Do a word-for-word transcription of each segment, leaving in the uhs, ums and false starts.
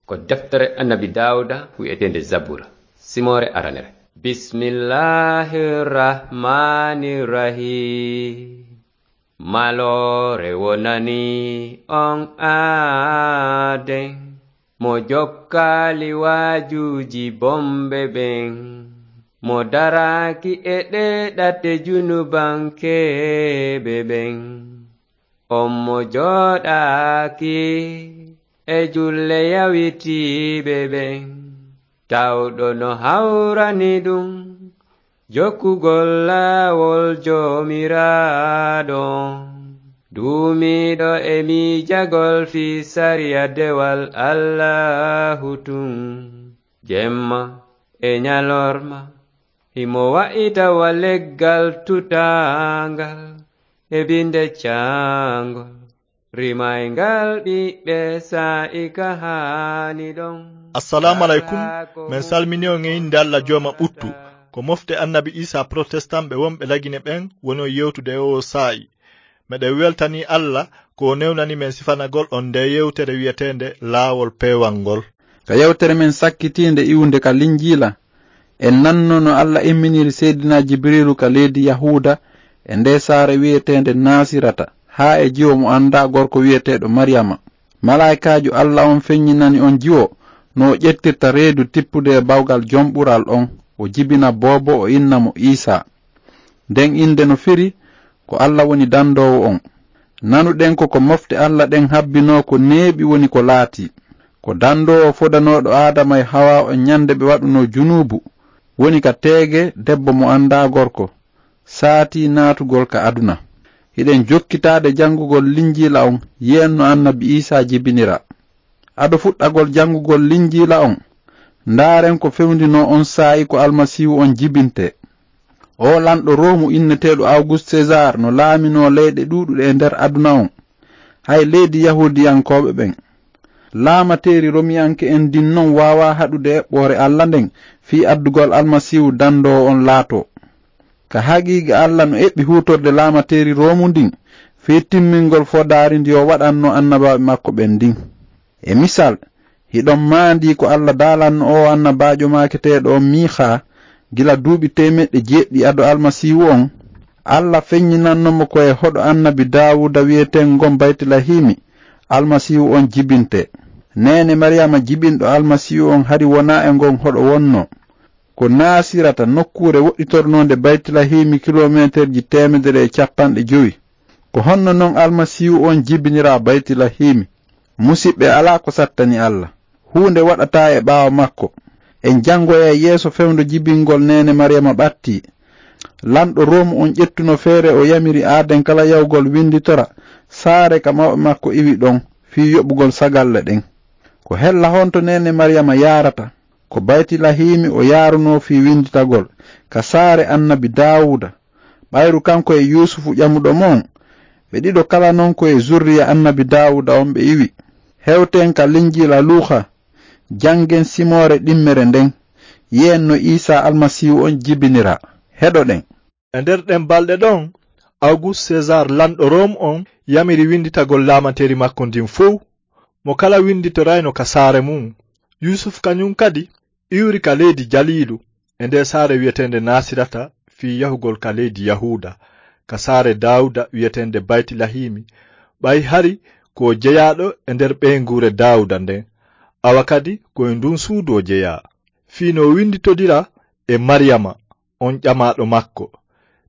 Ko deftere Annabi Daawuda wi'eteende Zabura, simoore aranere. Bismillahir Rahmanir Rahim. Maloore wonani on aaden, mo jokkaali waajuuji bomɓe ɓen, mo daraaki e ɗee ɗate junubankeeɓe ɓen. On mo jooɗaaki e julle yawitiiɓe ɓen, tawɗo no hawrani ɗum jokkugol laawol Joomiraaɗo on, duumiiɗo e miijagol fii sariya dewal Allaahu tun, jemma e ñalorma, himo wa'ita wa leggal tutaangal e binde caangol. Rimayngal ɓiɓɓe saa'i ka haani ɗon. Assalaamu aleykum. Men salmini on e innde Alla Jooma ɓuttu. Ko mofte Annabi Iisaa Protestant ɓe wonɓe Lagine ɓen woni on yewtude e oo saa'i. Meɗen weltanii Alla ko o newnani men sifanagol on ndee yewtere wi'eteende Laawol Peewal ngol. Ka yewtere men sakkitiinde iwunde ka Linjiila, en nannoo no Alla imminiri Seydinaa Jibiriilu ka leydi Yahuuda e ndee saare wi'eteende Naasirata, haa e jiwo mo anndaa gorko wi'eteeɗo Mariyama. Malaa'ikaajo Alla on feññinani on jiwo no o ƴettirta reedu tippude e bawgal Jom Ɓural on, o jibina boobo, o inna mo Iisaa. Nden innde no firi ko Alla woni dandoowo on. Nanuɗen ko ko mofte Alla ɗen habbinoo ko neeɓi woni ko laatii. Ko dandoowo fodanooɗo Aadama e Hawaa on ñande ɓe waɗunoo junuubu, woni ka teege debbo mo anndaa gorko, saatii naatugol ka aduna. Hiɗen jokkitaade janngugol Linjiila on, yi'en no Annabi Iisaa jibiniraa. Ado fuɗɗagol janngugol Linjiila on, ndaaren ko fewndinoo on saa'i ko Almasiihu on jibintee. Oo lanɗo Roomu inneteeɗo Awgust Sezaar no laaminoo leyɗe ɗuuɗuɗe e nder aduna on, hay leydi Yahuudiyankooɓe ɓen. Laamateeri Romiyanke'en ndin non waawaa haɗude eɓɓoore Alla nden fii addugol Almasiihu dandoowo on laatoo. Ka haqiiqa Alla no eɓɓi huutorde laamateeri Roomu ndin fii timmingol fodaari ndi o waɗannoo annabaaɓe makko ɓen ndin. E misal, hiɗon maandii ko Alla daalanno oo annabaajo maaketeeɗo on Miikaa gila duuɓi teemeɗɗe jeeɗiɗi ado Almasiihu on? Alla feññinanno mo ko e hoɗo Annabi Daawuuda wi'eteengon Baytilahiimi, Almasiihu on jibintee. Neene Mariyama jibinɗo Almasiihu on hari wonaa e ngon hoɗo wonnoo. Ko Naasirata, nokkuure woɗɗitornoonde Baytilahiimi kiloomeeterji teemedere e cappanɗe jowi. Ko honno non Almasiihu on jibiniraa Baytilahiimi? Musiɓɓe, alaa ko sattani Alla. Huunde waɗataa e ɓaawo makko. En janngoyay yeeso fewndo jibingol neene Mariyama ɓattii. Lanɗo Roomu on ƴettuno feere, o yamiri aaden kala yahugol winnditora saare ka mawɓe makko iwi ɗon fii yoɓugol sagalle ɗen. Ko hella honto neene Mariyama yaarata? Ko Baytilahiimi o yaarunoo fii winnditagol, ka saare Annabi Daawuuda. Ɓayru kanko e Yuusufu ƴamuɗo mo on, ɓe ɗiɗo kala non ko e zurriya Annabi Daawuuda on ɓe iwi. Hewten ka Linjiila Luuka, janngen simoore ɗimmere nden, yi'en no Iisaa Almasiihu on jibiniraa. Heɗoɗen. E nder ɗen balɗe ɗon, Awgust Sezaar, lanɗo Room on, yamiri winnditagol laamanteeri makko ndin fow. Mo kala winnditorayno ka saare mum. Yuusuf kañum kadi iwri ka leydi Jaliilu, e nde saare wi'eteende Naasirata, fii yahugol ka leydi Yahuuda, ka saare Daawuda wi'eteende Baytilahiimi, ɓay hari ko o jeyaaɗo e nder ɓeynguure Daawuda nden, awa kadi ko e ndun suudu o jeyaa, fii no o winnditodira e Mariyama, on ƴamaaɗo makko,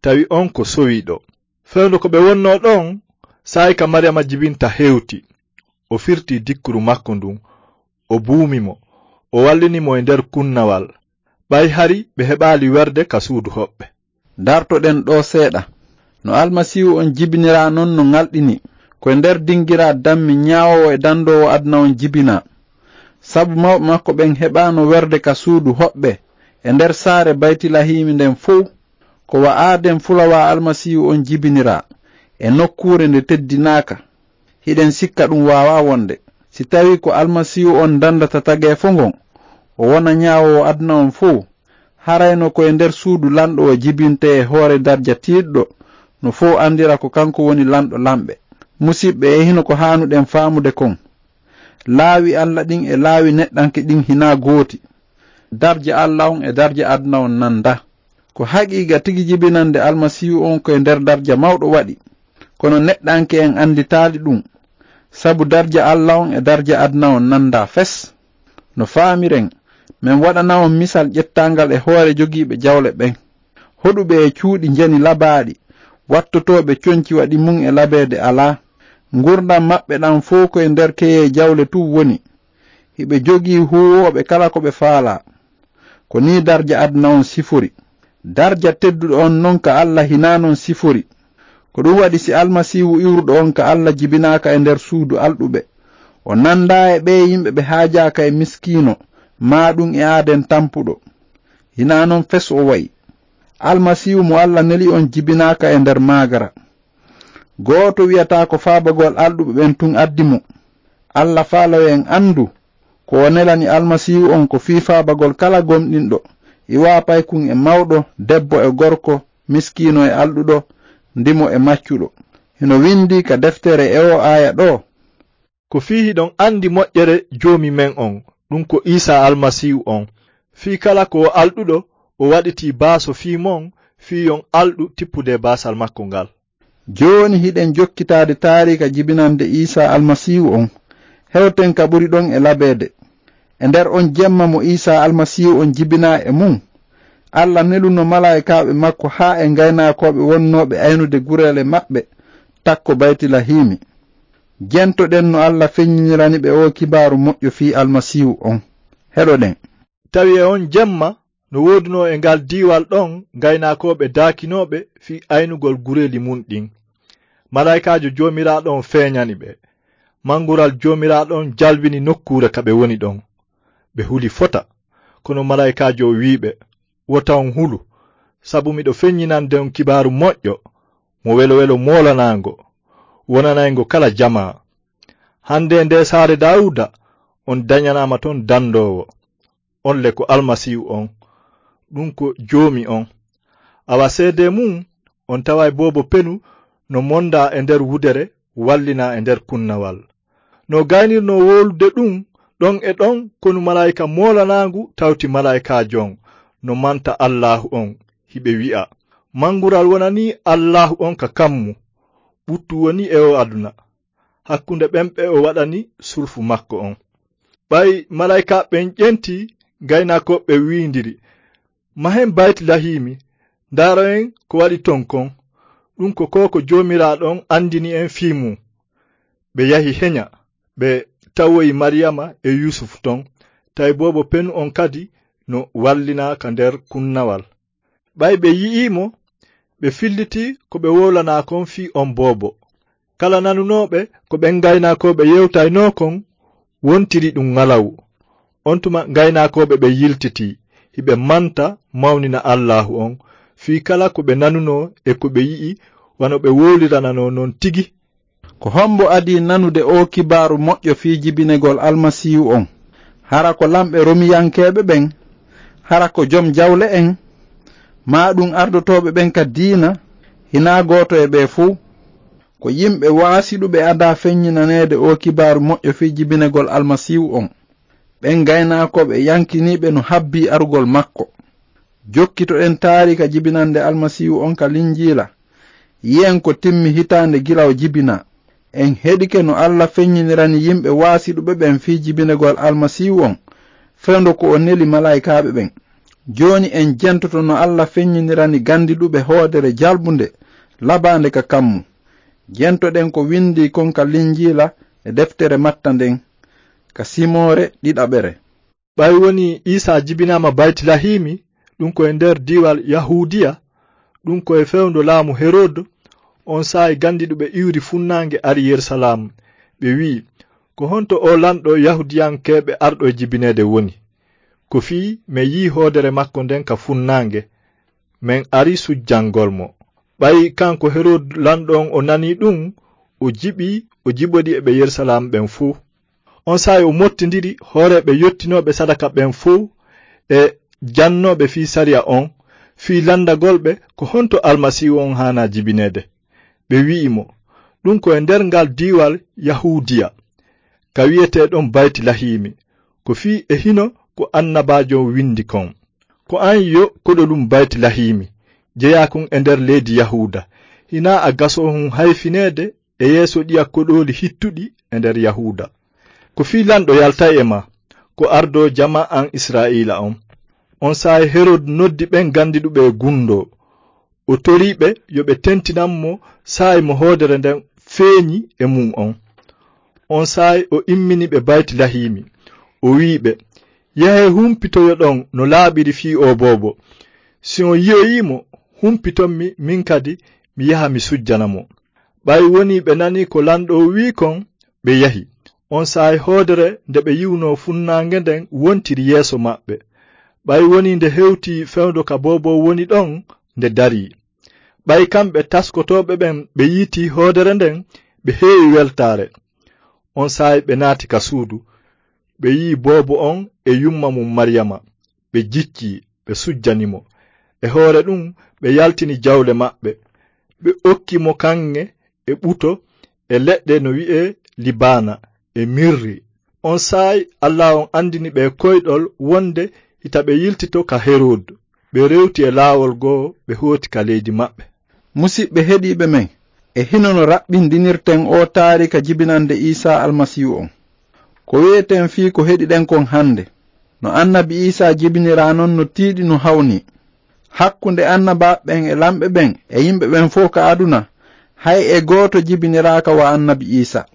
tawi on ko sowiiɗo. Fewndo ko ɓe wonnoo ɗon, saa'i ka Mariyama jibinta hewti, o firti dikkuru makko ndun, o buumi mo, o wallini mo e nder kunnawal, ɓay hari ɓe heɓaali werde ka suudu hoɓɓe. Dartoɗen ɗoo seeɗa. No Almasiihu on jibiniraa non no ŋalɗini, ko e nder dingiraa dammi ñaawoowo e dandoowo aduna on jibinaa. Sabu mawɓe makko ɓen heɓaano werde ka suudu hoɓɓe e nder saare Baytilahiimi nden fow. Ko wa aaden fulawaa Almasiihu on jibiniraa e nokkuure nde teddinaaka. Hiɗen sikka ɗum waawaa wonde. Si tawii ko Almasiihu on dandata tageefo ngon, o wona ñaawoowo aduna on fow, harayno ko e nder suudu lanɗo o jibintee e hoore darja tiiɗɗo, no fow andira ko kanko woni lanɗo lanɓe. Musiɓɓe, e hino ko haanuɗen faamude kon. Laawi Alla ɗin e laawi neɗɗanke ɗin hinaa gooti. Darja Alla on e darja aduna on nanda. Ko haqiiqa tigi jibinande Almasiihu on ko e nder darja mawɗo waɗi. Kono neɗɗanke en anditaali ɗum. Sabu darja Alla on e darja aduna on nanda fes. No faamiren, men waɗana on misal ƴettangal e hoore jogiiɓe jawle ɓen. Hoɗuɓe e cuuɗi njani labaaɗi, wattotooɓe conci waɗi mum e labeede alaa. Ngurndan maɓɓe ɗan fow ko e nder keyee jawle tun woni. Hiɓe jogii huuwooɓe kala ko ɓe faalaa. Ko nii darja aduna on sifori. Darja tedduɗo on non ka Alla hinaa non sifori. Ko ɗum waɗi si Almasiihu iwruɗo on ka Alla jibinaaka e nder suudu alɗuɓe, o nandaa e ɓee yimɓe ɓe haajaaka e miskiino, maa ɗum e aaden tampuɗo. Hinaa non fes o wa'i. Almasiihu mo Alla neli on jibinaaka e nder maagara. Gooto wi'ataa ko faabagol alɗuɓe ɓen tun addi mo. Alla faalaa yo en andu, ko o nelani Almasiihu on ko fii faabagol kala gomɗinɗo, iwaa paykun e mawɗo, debbo e gorko, miskiino e alɗuɗo, ndimo e maccuɗo. Hino windii ka deftere e oo aaya ɗoo. Ko fii hiɗon andi moƴƴere Joomi men on, ɗum ko Iisaa Almasiihu on. Fii kala ko o alɗuɗo, o waɗitii baaso fii mon, fii yon alɗu tippude baasal makko ngal. Jooni hiɗen jokkitaade taariika jibinande Iisaa Almasiihu on. Hewten ka ɓuri ɗon e labeede. E nder on jemma mo Iisaa Almasiihu on jibinaa e mum, Alla neluno malaa'ikaaɓe makko haa e ngaynaakooɓe wonnooɓe aynude gureele maɓɓe takko Baytilahiimi. Jentoɗen no Alla feññinirani ɓe oo kibaaru moƴƴo fii Almasiihu on. Heɗoɗen. Tawi e on jemma, no woodunoo e ngal diiwal ɗon ngaynaakooɓe daakinooɓe fii aynugol gureeli mun ɗin. Malaa'ikaajo Joomiraaɗo on feeñani ɓe. Mangural Joomiraaɗo on jalbini nokkuure ka ɓe woni ɗon. Ɓe huli fota, kono malaa'ikaajo on wi'i ɓe, "Wota on hulu, sabu miɗo feññinande on kibaaru moƴƴo, mo welowelo moolanaango, wonanayngo kala jamaa. Hande e nde saare Daawuda, on dañanaama ton dandoowo. On le ko Almasiihu on, ɗum ko Joomi on. Awa seedee mum, on taway boobo penu no mondaa e nder wudere, wallinaa e nder kunnawal." No gaynirnoo wowlude ɗum, ɗon e ɗon konu malaa'ika moolanaangu tawti malaa'ikaajo on, no manta Allaahu on, hiɓe wi'a, "Mangural wonanii Allaahu on ka kammu, ɓuttu woni e o aduna, hakkunde ɓen ɓe o waɗani sulfu makko on." Ɓay malaa'ikaaɓe ɓen ƴenti, gaynakooɓe ɓen wiindiri, "Mahen Baytilahiimi, ndaaroyen ko waɗi ton kon. Ɗum ko ko ko Joomiraaɗo on andini en fii mum." Ɓe yahi henya, ɓe tawoyi Mariyama e Yuusufu ton, tawi boobo penu on kadi no wallinaa ka nder kunnawal. Ɓay ɓe yi'ii mo, ɓe filliti ko ɓe wowlanaa kon fii on boobo. Kala nanunooɓe ko ɓen gaynakooɓe yewtaynoo kon, wontiri ɗum ŋalawu. On tuma gaynakooɓe ɓen yiltitii, hiɓe manta mawnina Allaahu on, fii kala ko ɓe nanunoo e ko ɓe yi'i, wano ɓe wowlirananoo non tigi. Ko hombo adii nanude oo kibaaru moƴƴo fii jibinegol Almasiihu on? Hara ko lamɓe Romiyankeeɓe ɓen? Hara ko jom jawle en? Maa ɗum ardotooɓe ɓen ka diina? Hinaa gooto e ɓee fuu. Ko yimɓe waasiɗuɓe adaa feññinaneede oo kibaaru moƴƴo fii jibinegol Almasiihu on. Ɓen gaynakooɓe yankiniiɓe no habbii arugol makko. Jokkitoɗen taariika jibinande Almasiihu on ka Linjiila. Yi'en ko timmi hitaande gila o jibinaa. En heɗike no Alla feññinirani yimɓe waasiɗuɓe ɓen fii jibinegol Almasiihu on, fewndo ko o neli malaa'ikaaɓe ɓen. Jooni en jentoto no Alla feññinirani gandiɗuɓe hoodere jalbunde, labaande ka kammu. Jentoɗen ko windii kon ka Linjiila e deftere Matta nden, ka simoore ɗiɗaɓere. Ɓay wonii Iisaa jibinaama Baytilahiimi, ɗum ko e nder diiwal Yahuudiya, ɗum ko e fewndo laamu Herod, on saa'i gandiɗuɓe iwri funnaange ari Yerusalaam. Ɓe wi'i, "Ko honto oo lanɗo Yahuudiyankeeɓe arɗo e jibineede woni? Ko fii men yi'i hoodere makko nden ka funnaange, men ari sujjangol mo." Ɓay kanko Herod lanɗo on o nanii ɗum, o jiɓi, o jiɓodi e ɓe Yerusalaam ɓen fuu. On saa'i o mottindiri hooreeɓe yottinooɓe sadaka ɓen fow e jannooɓe fii sariya on, fii landagol ɓe ko honto Almasiihu on haanaa jibineede. Ɓe wi'i mo, "Ɗum ko e nder ngal diiwal Yahuudiya. ka wi'eteeɗon Baytilahiimi, ko fii e hino ko annabaajo on windi kon. Ko an yo koɗolun Baytilahiimi, jeyaakun e nder leydi Yahuuda, hinaa a gasoohun hayfineede e yeeso ɗiya koɗooli hittuɗi e nder Yahuuda. Ko fii lanɗo yaltay e maa, ko ardoo jamaa an Israa'iila on. On saa'i Herod noddi ɓen gandiɗuɓe e gundoo. O torii ɓe yo ɓe tentinan mo saa'i mo hoodere nden feeñi e mun on. On saa'i o immini ɓe Baytilahiimi. O wi'i ɓe, "Yahee humpitoyoɗon no laaɓiri fii oo boobo. Si on yi'oyii mo, humpiton mi, min kadi mi yaha mi sujjana mo." Ɓay wonii ɓe nanii ko lanɗo on wi'i kon, ɓe yahi. On saa'i hoodere nde ɓe yi'unoo funnaange nden wontiri yeeso maɓɓe. Ɓay wonii nde hewtii fewndo ka boobo on woni ɗon, nde darii. Ɓay kamɓe taskotooɓe ɓen ɓe yiitii hoodere nden, ɓe heewi weltaare. On saa'i ɓe naati ka suudu, ɓe yi'i boobo on e yumma mun Mariyama, ɓe jiccii, ɓe sujjani mo. E hoore ɗun, ɓe yaltini jawle maɓɓe, ɓe okki mo kaŋŋe e ɓuto e leɗɗe no wi'ee libaana e mirri. On saa'i Alla on andini ɓe koyɗol wonde hita ɓe yiltito ka Herod. Ɓe rewti e laawol goo, ɓe hooti ka leydi maɓɓe. Musiɓɓe heɗiiɓe men, e hino no raɓɓindinirten oo taariika jibinande Iisaa Almasiihu on. Ko wi'eten fii ko heɗiɗen kon hande? No annabi Iisaa jibiniraa non no tiiɗi no hawni. Hakkunde annabaaɓe ɓen e lamɓe ɓen e yimɓe ɓen fow ka aduna, hay e gooto jibiniraaka wa annabi Iisaa.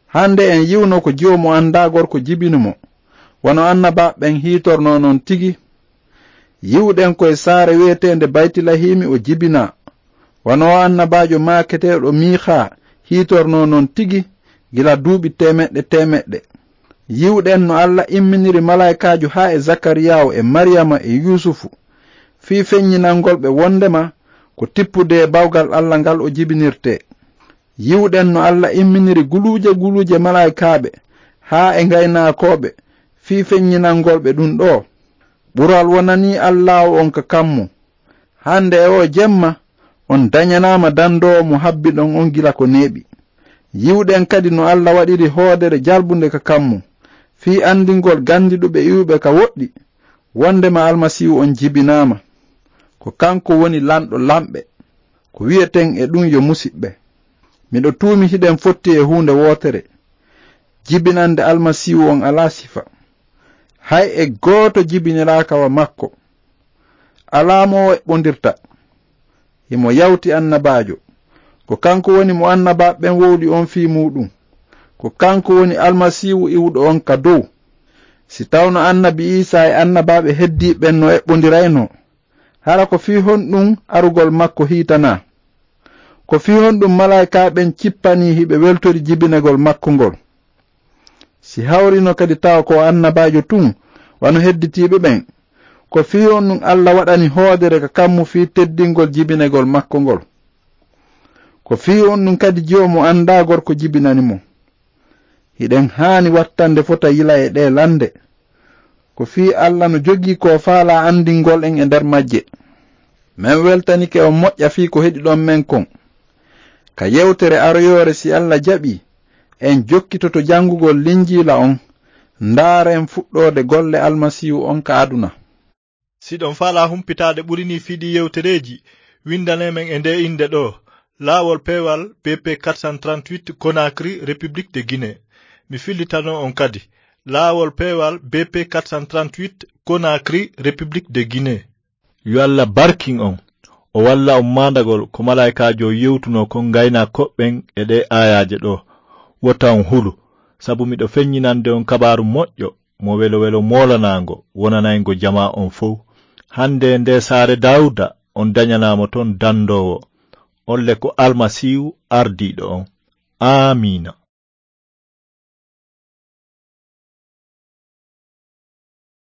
Hande en yi'uno ko jiwo mo andaa gorko jibini mo, wano annabaaɓe ɓen hiitornoo non tigi. Yi'uɗen ko e saare wi'eteende Baytilahiimi o jibinaa, wano oo annabaajo maaketeeɗo Miikaa hiitornoo non tigi gila duuɓi teemeɗɗe teemeɗɗe. Yi'uɗen no Alla imminiri malaa'ikaajo haa e Zakariyaawu e Mariyama e Yuusufu, fii feññinangol ɓe wondema ko tippude e bawgal Alla ngal o jibinirtee. Yi'uɗen no Alla imminiri guluuje guluuje malaa'ikaaɓe haa e ngaynaakooɓe fii feññinangol ɓe ɗun ɗoo. Ɓural wonanii Allaahu on ka kammu. Hande e oo jemma, on dañanaama dandoowo mo habbiɗon on gila ko neeɓi. Yi'uɗen kadi no Alla waɗiri hoodere jalbunde ka kammu, fii andingol gandiɗuɓe iwuɓe ka woɗɗi, wondema Almasiihu on jibinaama. Ko kanko woni lanɗo lanɓe. Ko wi'eten e ɗun yo musiɓɓe. Miɗo tuumi hiɗen fotti e huunde wootere. Jibinande Almasiihu on alaa sifa. Hay e gooto jibiniraaka wa makko. Alaa mo o eɓɓondirta. Himo yawti annabaajo. Ko kanko woni mo annabaaɓe ɓen wowli on fii muuɗum. Ko kanko woni Almasiihu iwuɗo on ka dow. Si tawno annabi Iisaa e annabaaɓe heddiiɓe ɓen no eɓɓondiraynoo, hara ko fii honɗum arugol makko hiitanaa? Ko fii honɗum malaa'ikaaɓe ɓen cippanii hiɓe weltori jibinegol makko ngol? Si hawrino kadi tawa ko o annabaajo tun, wano hedditiiɓe ɓen, ko fii honɗum Alla waɗani hoodere ka kammu fii teddingol jibinegol makko ngol? Ko fii honɗum kadi jiwo mo anndaa gorko jibinani mo? Hiɗen haani wattande fota yila e ɗee lande. Ko fii Alla no jogii ko faalaa andingol en e nder majje. Men weltanike on moƴƴa fii ko heɗiɗon men kon. Ka yewtere aroyoore, si Alla jaɓii, en jokkitoto jangugol Linjiila on, ndaaren fuɗɗoode golle Almasiihu on ka aduna. Si ɗon faalaa humpitaade ɓuri nii fii ɗii yewtereeji, windanee men e ndee innde ɗoo, Laawol Peewal B P quatre cent trente-huit, Conakry, République de Guinée. Mi fillitanoo on kadi, Laawol Peewal B P quatre cent trente-huit, Conakry, République de Guinée. Yo Alla barkin on, o walla on maandagol ko malaa'ikaajo on yewtunoo kon ngaynaakooɓe ɓen e ɗee aayaaje ɗoo. Wota on hulu, sabu miɗo feññinande on kabaaru moƴƴo mo welo welo moolanaango wonanayngo jamaa on fow. Hande e ndee saare Daawuda on dañanaa mo ton dandoowo, on le ko Almasiihu ardiiɗo on. Aamiina.